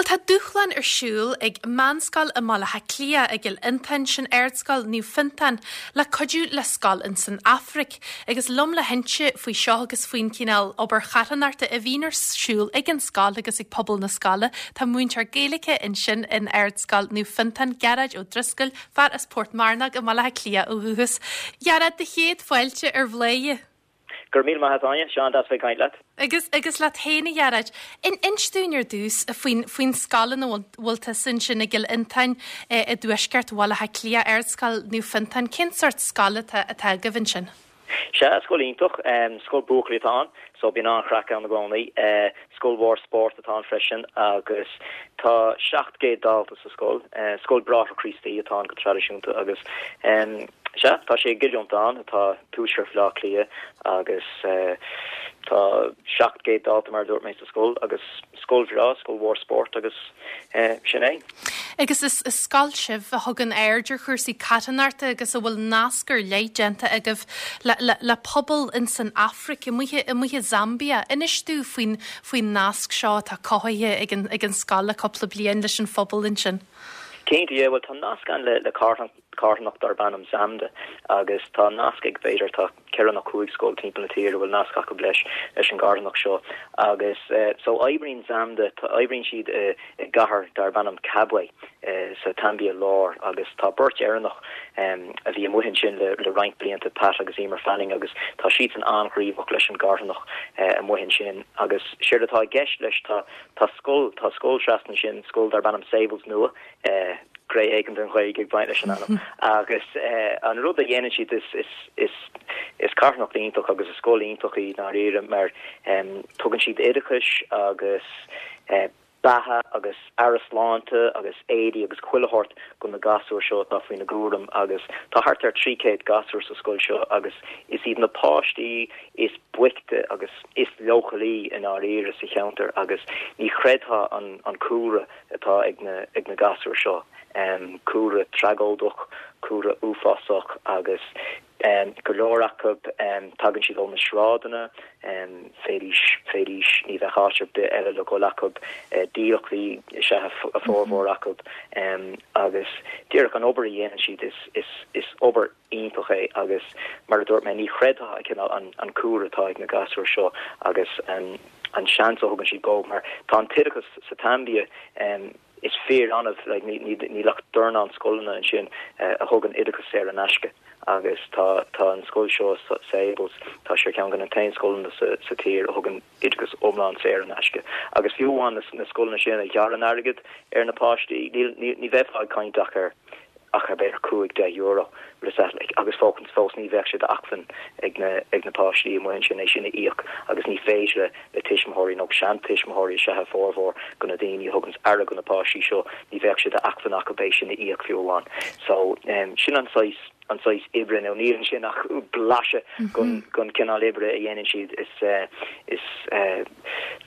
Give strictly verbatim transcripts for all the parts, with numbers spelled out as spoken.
Bhuel, tá dúshlán ar siúl ag meánscoil i mBaile Átha Cliath i gCill Fhionntáin, sin Ardscoil Naomh Fiontán, le cuidiú le scoil in san Afraic. Agus liom le hinse faoi seo agus faoin cineál obair charthanachta a bhíonn ar siúl ag an scoil agus ag pobal na scoile, tá múinteoir Gaeilge ansin in Ardscoil Naomh Fiontán, Gearóid Ó Drisceoil, fear as Port Mearnóg i mBaile Átha Cliath ó dhúchas. Gearóid, do chéad fáilte ar Bhladhaire. Gur mí maith Áine, Seán das bheith caint leat. Agus agus leat féin, a Ghearóid. In inis dúinn ar dtús faoin faoin scoil ina bhfuil tusa ansin i gCill Fhionntáin i dtuaisceart Bhaile Átha Cliath, Ardscoil Naomh Fiontán, cén sórt scoil atá atá agaibh ansin? Sea, scoil iontach, scoil buachaillí atá ann, so bíonn an-chraic ann i gcónaí. Scoil mhór spóirt atá ann freisin agus tá seacht gcéad dalta sa scoil. Scoil Bráithre Críostaí atá ann go traidisiúnta agus sea, tá sé i gCill Fhionntáin atá tuaisceart Bhaile Átha Cliath agus tá seacht gcéad dalta mar a dúirt mé sa scoil agus scoil bhreá, scoil mhór spóirt agus sin é. Agus is is scoil sibh a thugann aird ar chúrsaí carthanachta agus a bhfuil nasc ar leith déanta agaibh le, le, le pobal in san Afraic, amuigh amuigh i Zambia. Inis dúinn faoin faoin nasc seo atá cothaithe ag an ag an scoil le cúpla bliain leis an phobal ansin. Cinnte, yeah, well tá nasc ann le le carthanacht darb ainm Zamda agus tá nasc ag b'fhéidir tá ceithre nó cúig scoil timpeall na tíre bhfuil nasc acu leis leis an gcarthanacht seo agus uh, so oibríonn Zamda tá oibríonn siad uh, i gcathair darb ainm Kabwe uh, sa tSaimbia Láir agus tá beirt Éireannach um, a bhí amuigh ansin le, le roinnt blianta Pat agus Emer Fanning agus tá siad san an-ghníomhach leis an gcarthanacht uh, amuigh ansin agus séard atá i gceist leis tá tá scoil tá scoil trasna sin scoil darb ainm Sables nua uh, gré éigen den Ghaeilge ag baint leis an ainm agus uh, an rud a dhéanann siad is is is is carthanacht iontach agus is scoil iontach í dáiríre mar um, tugann siad oideachas agus uh, beatha agus aire sláinte agus éadaí agus chuile shórt go na gasúir seo atá faoina gcúram agus tá thart ar trí chéad gasúr sa scoil seo agus is iad na páistí is boichte agus is leochailí i ndáiríre sa cheantar agus ní chreidfeá an an cúlra atá ag na ag na gasúir seo um, cúlra tragóideach, cúlra uafásach agus um, go leor acu um, tagann siad ó na sráideanna um, fédís fédís ní bheith áit ar bith eile le dul acu uh, dílleachtaí is ea a formhór acu um, agus díreach an obair a dhéanann siad is, is, is obair iontach é agus mar a dúirt mé ní chreidfeá cineál an, an cúlra atá ag na gasúir seo agus um, an seans a thugann siad go mar tá an t-oideachas sa tSaimbia um, is fíor-annamh like, ní, ní, níl ach dornán scoileanna ansin uh, a thugann oideachas saor in aisce agus tá tá an scoil seo Sables tá sé ceann de na t-aon scoileanna sa, sa tír a thugann oideachas iomlán saor in aisce agus fiú amháin na, na scoileanna sin a ghearrann airgead ar na páistí ní, ní, ní bheifeá ag caint ach ar ach ar b'fhéidir cúig deich euro agus fócan fós ní bheadh sé d'acmhainn ag na ag na páistí amuigh ansin é sin a íoc agus ní féidir le tuismitheoirí nó seantuismitheoirí is ea formhór go na daoine a thugann aire go na páistí seo ní bheadh sé d'acmhainn acu é sin a íoc fiú amháin so um, sin an saghas an saghas oibre nó níl sin ach blaiseadh den den cineál oibre a dhéanann siad is uh, is uh,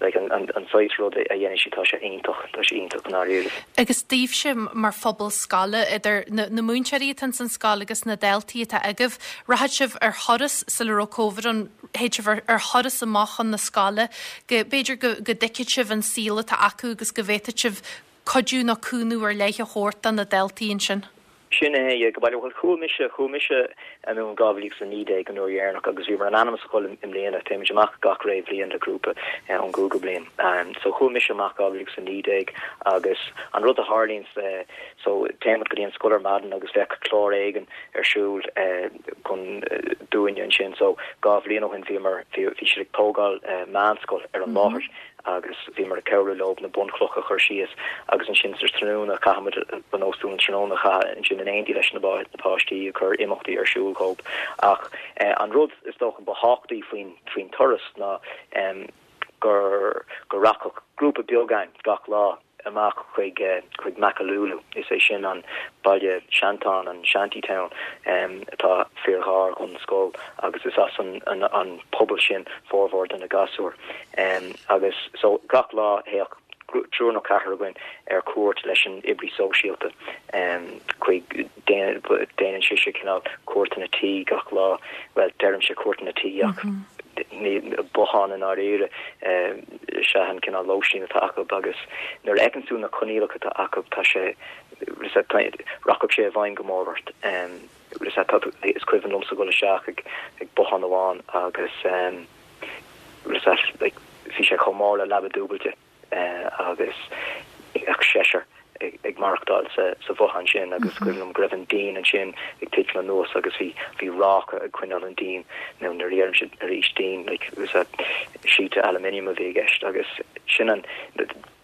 like an, an, an saghas rud a dhéanann siad tá sé iontach tá sé iontach dáiríre. Agus daoibhse mar phobal scoile idir na, na múinteoirí atá san scoil agus na daltaí atá agaibh, rachadh sibh ar thuras sula raibh Covid ann théadh sibh ar, ar thuras amach chun na scoile, go b'fhéidir go, go dtuigfeadh sibh an saol atá acu agus go bhféadfadh sibh cuidiú nó cúnamh ar leith a thabhairt do na daltaí ansin. Sin é go bhfuil chuaigh mise chuaigh mise an an dhá mhíle a naoi déag an uair dheireanach agus bhíomar in ainm is a dhul i mbliana téimid amach gach ré bhliain le grúpa ón gcúigiú bliain. Um, so chuaigh mise amach dhá mhíle a naoi déag agus an rud a tharlaíonn uh, so téimid go dtí an scoil ar maidin agus bheadh clár éigin ar siúl uh, chun uh, dúinne ansin so dhá bhliain ó shin bhíomar bhí siad ag tógáil uh, meánscoil ar an mm -hmm. láthair agus bhíomar ag cabhrú leo na bunchlocha a chur síos agus ansin sa tráthnóna caithimid banóstún tráthnóna cha ansin in éindí leis na páistí ag cur imeachtaí ar siúl dóibh ach eh, an rud is dócha ba thábhachtaí faoin faoin turas ná um, gur go rachadh grúpa beag againn gach lá amach chuig uh, chuig Makululu is é sin an baile seantáin an shantytown um, atá fíorghar don scoil agus is as an, an, an pobal sin formhór de na gasúir um, agus so gach lá théadh triúr nó ceathrar againn ar cuairt leis an oibrí sóisialta um, chuig déanann sí cineál cuairteanna tí gach lá well deirimse cuairteanna tí ach mm -hmm. bothán i ndáiríre is ea an cineál lóistín atá acu agus nuair a fheiceann tú na coinníollacha atá acu tá sé rachadh sé i bhfeidhm go mór ort. Is cuimhin liomsa dul isteach ag ag bothán amháin agus bhí sé chomh mór le leaba dúbailte agus ach seisear ag maireachtáil sa sa bhothán sin agus cuimhin liom go raibh an díon ansin ag titim anuas agus bhí bhí ráca ag coinneáil an díon nó nuair a deirimse arís díon like was a sheet aluminium a bhí i gceist agus sin an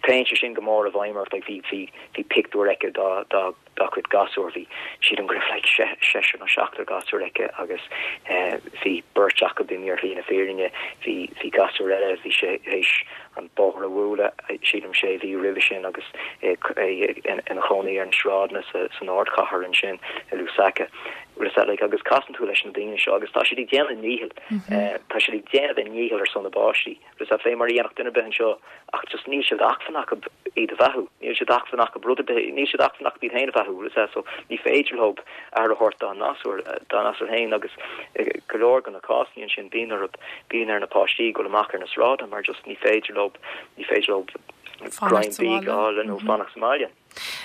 téann sé sin go mór i bhfeidhm ort like bhí bhí bhí pictiúr aici dá dá dá cuid gasúr bhí sílim go raibh like seisear nó seachtar gasúr aici agus eh, bhí beirt acu imithe ar shlí na fírinne bhí bhí gasúr eile bhí sé théis an bóthar a bhualadh sílim sé mhí roimhe sin agus é ina chónaí ar na sráideanna sa san ardchathair ansin i Lusaka. Like, agus casann tú leis na daoine seo agus tá siad ag déanamh a ndícheall eh, tá siad ag déanamh a ndícheall ar son na bpáistí agus fé mar a dhéanfadh duine ar bith anseo ach just níl sé d'acmhainn acu iad a bheathú níl sé d'acmhainn acu rud níl sé d'acmhainn acu iad féin a bheathú so ní féidir leo aire a thabhairt dá ngasúir dá ngasúir féin agus go leor de na cásanna sin bíonn ar bíonn ar na páistí dul amach ar na sráideanna mar just ní féidir leo ní féidir leo greim bídh a fháil nó fanacht sa mbaile.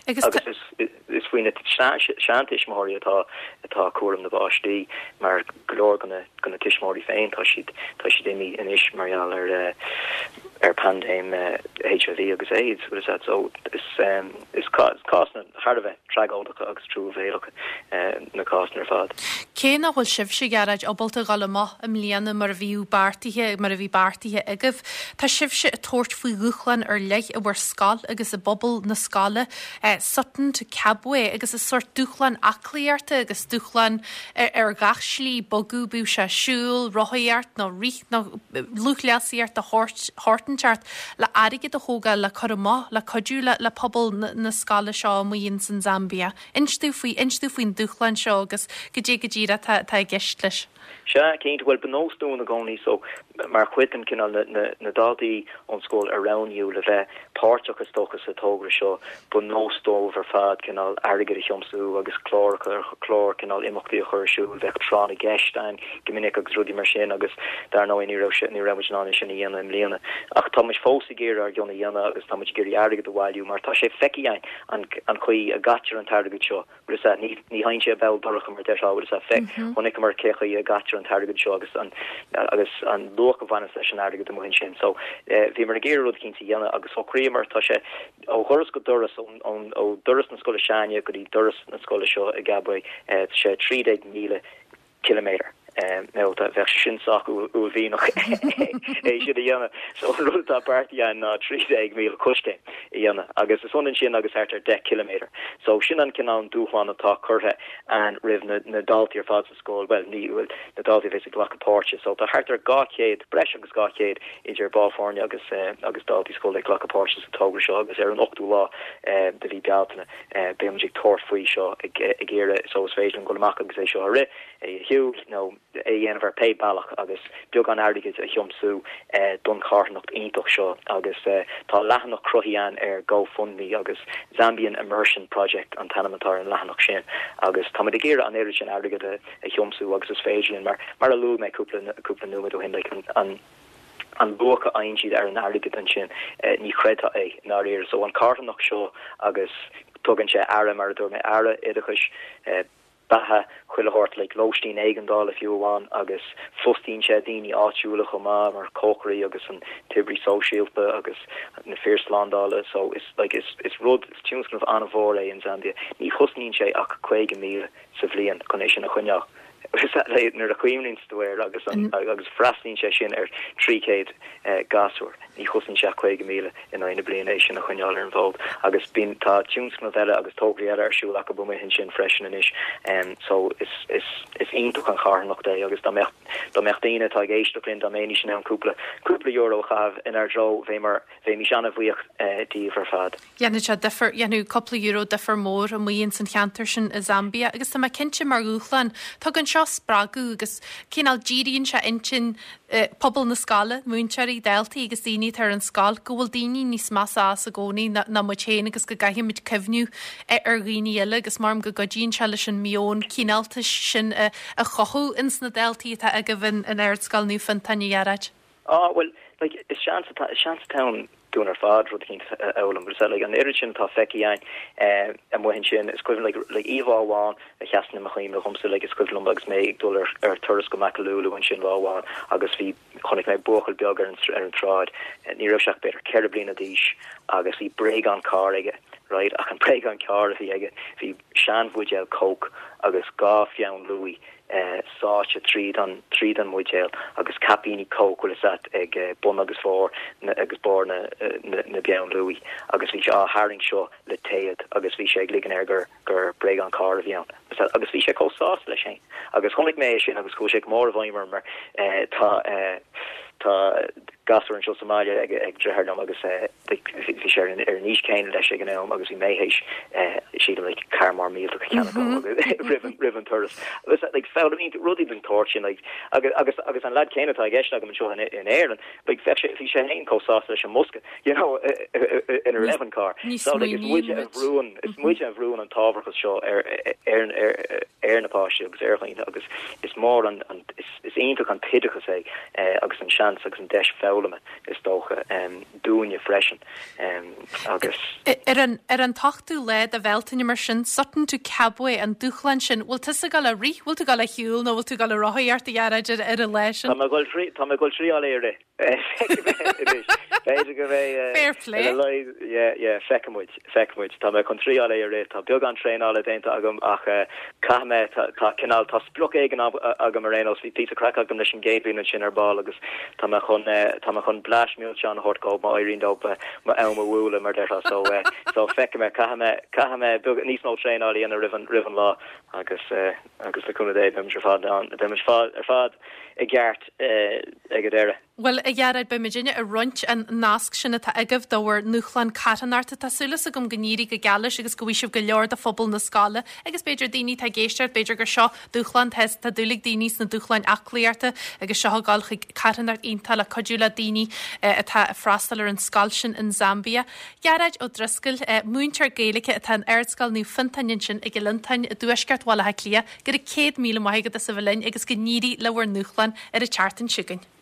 Agus Agus is is faoi na seantuismitheoirí atá atá cúram na bpáistí mar go leor de na de na tuismitheoirí féin tá siad tá siad imithe anois mar gheall ar eh, ar paindéim HIV agus AIDS is that so is um, is cásanna thar a bheith tragóideacha agus truamhéalacha uh, na cásanna ar fad. Cé nach bhfuil sibhse Gearóid ábalta dul amach i mbliana mar a bhí beartaithe mar a bhí beartaithe agaibh, Tá sibhse ag tabhairt faoi dhúshlán ar leith i bhur scoil agus i bpobal na scoile eh, Sutton to Kabwe agus is sórt dúshlán aclaíochta agus dúshlán ar, ar gach slí bogadh bíodh sé siúl, rothaíocht nó rith nó lúthchleasaíocht a shórt le airgead a thógáil le cur amach le cuidiú le, le pobal na, na scoile seo amuigh san Zambia. Inis dúinn faoi inis dúinn faoin dúshlán seo agus goidé go díreach tá i gceist leis. Sea cinnte bhuel ba nós dúinn i gcónaí so mar chuid den cineál na, na, na daltaí ón scoil a roghnaíodh le bheith páirteach is dócha sa togra seo ba nós dóibh ar fad cineál airgead a thiomsú agus clár clár cineál imeachtaí a chur ar siúl bheadh tráth na gceist ann go minic agus rudaí mar sin agus dar ndóigh ní raibh ní raibh muid in ann sin a dhéanamh i mbliana ach tá muid fós ag iarraidh ár gcion a dhéanamh agus tá muid ag iarraidh airgead a bhailiú mar tá sé feicthe againn an an chaoi a gcaitear an t-airgead seo bhuel ní ní théann sé béal dorcha mar déarfá bhuel fe chonaiceamar cé chaoi a gcaitear an t-airgead seo agus an agus an luach a bhaineann leis an airgead amuigh ansin so eh, bhíomar ag iarraidh rud éicint a dhéanamh agus shocraíomar tá sé ó dhoras go doras ón ó doras na scoile s'againne go dtí doras na scoile seo i Kabwe eh, sé trí déag míle kilometer. Um, nó bheadh sin sách uaillmhianach é sin a dhéanamh so an rud atá beartaithe ná trí déag míle coiscéim a dhéanamh agus is ionann sin agus thart ar deich kilometer. So sin an cineál dúshlán atá curtha ann roimh na, na daltaí ar fad sa scoil well ní bhfuil na daltaí bheas ag glacadh páirte so tá thart ar dhá chéad breis agus dhá chéad idir baill foirne agus uh, agus daltaí scoile ag glacadh páirte sa togra seo agus ar an ochtú lá uh, de mhí Bealtaine uh, beimid ag tabhairt faoi seo ag, ag iarraidh so is féidir dul amach agus é seo a rith é shiúl nó é dhéanamh ar pé bealach agus beagán airgid a thiomsú eh, don charthanacht iontach seo agus eh, tá leathanach cruthaithe ann ar GoFundMe agus Zambian Immersion Project an t-ainm atá ar an leathanach sin agus tá ag iarraidh an oiread sin airgead a, a thiomsú agus is féidir mar mar a luaigh mé cúpla cúpla nóiméad ó shin like, an, an an luach a fhaigheann siad ar an airgead ansin eh, ní chreidfeá é dáiríre so an carthanacht seo agus tugann sé aire mar a dúirt mé aire oideachais eh, beatha chuile shórt le lóistín éigeandála fiú amháin agus fostaíonn sé daoine áitiúla chomh maith mar cócairí agus an t-oibrí sóisialta agus na fir slándála so is like is is rud is tionscnamh an-mhór é in Zambia ní chosnaíonn sé ach caoga míle sa bhliain chun é sin a choinneáil nuair a chuimhníonn tú air agus an, agus freastalaíonn sé sin ar trí chéad eh, gasúr ní chosnaíonn sé caoga míle in aghaidh na bliana é sin a choinneáil ar an bhfód agus bíonn tá tionscnaimh eile agus tograí eile ar siúl acu amuigh ansin freisin anois um, so is is is iontach an charthanacht é agus dá mbeadh dá mbeadh daoine atá ag éisteacht linn dá mbeidís in ann cúpla cúpla euro a chaitheamh inár dtreo bheadh mar bheimis an-bhuíoch eh, díobh ar fad. Dhéanfadh sé difear dhéanfadh cúpla euro difear mór amuigh san cheantar sin i Zambia agus tá mé cinnte mar dhúshlán tugann seo spreagadh agus cineál díríonn sé intinn eh, pobal na scoile, múinteoirí, daltaí agus daoine ar an scoil go bhfuil daoine níos measa as i gcónaí ná ná muid féin agus go gcaithfimid cuimhneamh ar dhaoine eile agus mar go gcuidíonn sé leis an meon cineáltais sin a, a chothú ins na daltaí atá agaibh in in Ardscoil Naomh Fionntán a Ghearóid. Ah well like is seans atá is seans atá ann dúinn ar fad rud éicint a fhoghlaim agus like an oiread sin atá feicthe againn eh, amuigh ansin is cuimhin like like íomhá amháin a sheasann i mo chuimhne dhomsa like is cuimhin liom agus mé ag dul ar ar turas go Makululu ansin lá amháin agus bhí chonaic mé buachaill beag ar an ar an tsráid eh, ní raibh sé ach b'fhéidir ceithre bliana d'aois agus bhí bréagán carr aige right ach an bréagán carr a bhí aige bhí seanbhuidéal Coke agus dhá pheann luaidhe eh, sáite tríd an tríd an mbuidéal agus caipíní Coke bhfuil a fhios agat ag eh, bun agus bharr na, agus barr na, eh, na, na bpeann luaidhe agus bhí sé á tharraingt seo le téad agus bhí sé ag ligean air gur gur bréagán carr a bhí ann. Agus bhí sé chomh sásta leis sin. Agus chonaic mé sin agus chuaigh sé go mór i bhfeidhm orm mar eh, tá eh, tá gasúr anseo sa mbaile ag ag deartháir liom agus eh, bhí sé ar an ar an aois chéanna leis ag an am agus bhí mé théis eh, sílim like carr mór millteach a cheannach roimh an- roimh an turas. Agus like foghlaimíonn rudaí den tsórt sin like agus agus agus an lad céanna atá i gceist agam anseo in in Éirinn like bheadh sé bhí sé féin chomh sásta leis an mbosca you know ina raibh an carr. Ní So like is muide a smaoiníonn muid. bhrúnn is muide a bhrúnn an t-ábharachas seo ar ar ar ar na páistí agus ar dhaoine agus is mór an an is is iontach an t-oideachas é eh, agus an seans agus an deis foghlama is dócha um, dúinne freisin um, agus Ar an ar an t-ochtú lá de Bhealtaine mar sin Sutton to Kabwe an dúshlán sin, bhfuil tusa ag gabháil a rith, bhfuil tú ag gabháil a shiúl nó bhfuil tú ag gabháil a rothaíocht a Ghearóid ar ar an lá Tá sin. mé ag dul tá mé ag dul triáil é rith. B'fhéidir go mbeidh Fair play. Feicfimid feicfimid Tá mé chun triáil é rith tá beagán traenála déanta agam ach caithfidh mé tá cineál tá sprioc éigin agam ar aon nós bhí píosa craic agam leis an gcéad sin ar ball agus tá mé chun tá mé chun blast millteach a thabhairt dóibh má éiríonn dóibh m'am a bhualadh mar déarfá so so feicfidh mé caithfidh mé caithfidh mé níos mó traenála a dhéanamh roimh an roimh an lá agus agus le cúnamh Dé beimid ar fad an beimid ar fad i gceart ag an deireadh. Well a Ghearóid beimidne ag roinnt an nasc sin atá agaibh do bhur ndúshlán carthanachta tá súil agam go n-éirí go geal leis agus go bhfaighidh sibh go leor de phobal na scoile agus b'fhéidir daoine tá ag éisteacht b'fhéidir gur seo dúshlán te tá dúil ag daoine sna dúshláin aclaíochta agus seo ag gabháil chuig carthanacht iontach le cuidiú le daoine atá ag freastal ar an scoil sin in Zambia. Gearóid Ó Drisceoil múinteoir Gaeilge atá in Ardscoil Naomh Fionntán ansin i gCill Fhionntáin i dtuaisceart Bhaile Átha Cliath, go raibh céad míle maith agat as a bheith linn agus go n-éirí le bhur ndúshlán ar an tseachtain seo chugainn.